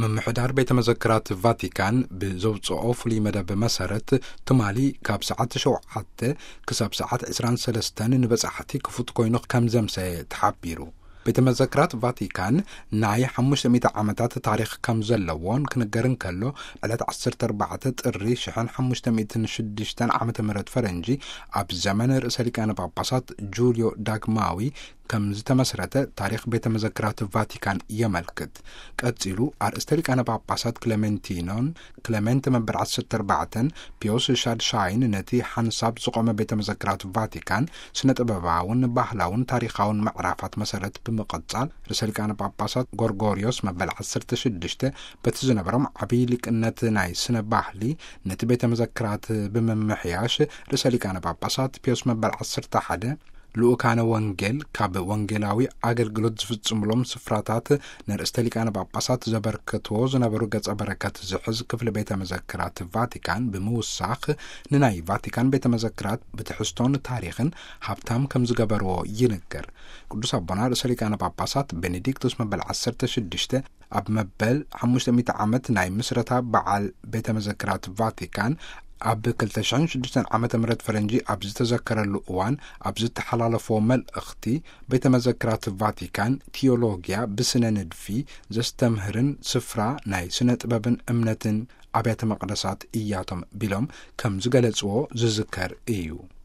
ምምሕዳር ቤተ መዘክራት ቫቲካን ብዘውፅኦ ፍሉይ መደብ መሰረት፣ ትማሊ ካብ ሰዓት ሸውዓተ ክሳብ ሰዓት ዕስራን ሰለስተን ንበጻሕቲ ክፉት ኮይኑ ከም ዘምሰየ ተሓቢሩ። ቤተ መዘክራት ቫቲካን ናይ ሓሙሽተ ሚእቲ ዓመታት ታሪኽ ከም ዘለዎን ክንገር እንከሎ፣ ዕለት ዓሰርተ ኣርባዕተ ጥሪ ሽሕን ሓሙሽተ ሚእትን ሽዱሽተን ዓመተ ምህረት ፈረንጂ፣ ኣብ ዘመን ርእሰ ሊቃነ ጳጳሳት ጁልዮ ዳግማዊ ከም ዝተመስረተ ታሪኽ ቤተ መዘክራት ቫቲካን የመልክት። ቀጺሉ፣ ኣርእስተ ሊቃነ ጳጳሳት ክለሜንቲኖን ክለሜንት መበል ዓሰርተ ኣርባዕተን ፒዮስ ሻድሻይን ነቲ ሓንሳብ ዝቖመ ቤተ መዘክራት ቫቲካን ስነ ጥበባውን ባህላውን ታሪኻውን ምዕራፋት መሰረት ብምቕጻል፣ ርእሰ ሊቃነ ጳጳሳት ጎርጎርዮስ መበል ዓሰርተ ሽዱሽተ በቲ ዝነበሮም ዓብዪ ሊቅነት ናይ ስነ ባህሊ ነቲ ቤተ መዘክራት ብምምሕያሽ፣ ርእሰ ሊቃነ ጳጳሳት ፒዮስ መበል ዓሰርተ ሓደ ልኡካነ ወንጌል ካብ ወንጌላዊ ኣገልግሎት ዝፍጽምሎም ስፍራታት ንርእስተ ሊቃነ ጳጳሳት ዘበርከትዎ ዝነበሩ ገጸ በረከት ዝሕዝ ክፍሊ ቤተ መዘክራት ቫቲካን ብምውሳኽ፣ ንናይ ቫቲካን ቤተ መዘክራት ብትሕዝቶን ታሪኽን ሃብታም ከም ዝገበርዎ ይንገር። ቅዱስ ኣቦና ርእሰ ሊቃነ ጳጳሳት ቤኔዲክቶስ መበል ዓሰርተ ሽዱሽተ ኣብ መበል ሓሙሽተ ሚእቲ ዓመት ናይ ምስረታ በዓል ቤተ መዘክራት ቫቲካን ኣብ ክልተ ሽሕን ሽዱሽተን ዓመተ ምህረት ፈረንጂ ኣብ ዝተዘከረሉ እዋን ኣብ ዝተሓላለፎ መልእኽቲ፣ ቤተ መዘክራት ቫቲካን ቲዮሎጊያ ብስነ ንድፊ ዘስተምህርን ስፍራ ናይ ስነ ጥበብን እምነትን ኣብያተ መቕደሳት እያቶም ቢሎም ከም ዝገለጽዎ ዝዝከር እዩ።